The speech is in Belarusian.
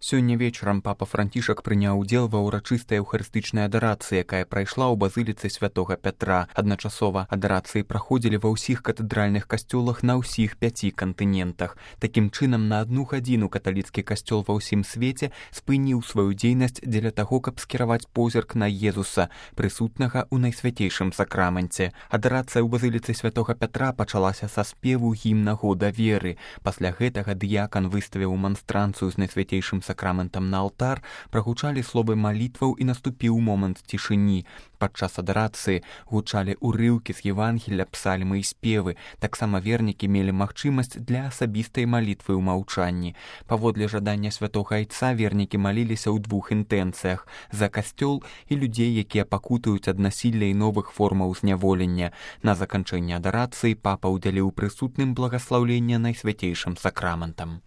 Сёння вечарам папа Францішак прыняў удзел ва ўрачыстай эўхарыстычнай адарацыі, якая прайшла ў базыліцы святога Пятра. Адначасова адарацыі праходзілі ва ўсіх катэдральных касцёлах на ўсіх 5 кантынентах. Такім чынам, на 1 гадзіну каталіцкі касцёл ва ўсім свеце спыніў сваю дзейнасць дзеля таго, каб скіраваць позірк на Езуса, прысутнага ў найсвяцейшым сакраменце. Адарацыя ў базыліцы святога Пятра пачалася са спеву гімна года веры. Пасля гэтага дыякан выставіў манстранцыю з найсвяцейшым сакраментам на алтар, прагучалі словы малітваў і наступіў момант цішыні. Падчас адарацыі гучалі урыўкі з Евангелля, псальмы і спевы. Таксама вернікі мелі магчымасць для асабістай малітвы ў маўчанні. Паводле жадання святога айца вернікі маліліся ў 2 інтэнцыях: за касцёл і людзей, якія пакутаюць ад насілля і новых формаў зняволення. На заканчэнне адарацыі папа ўдзяліў прысутным благаслаўленне найсвяцейшым сакраментам.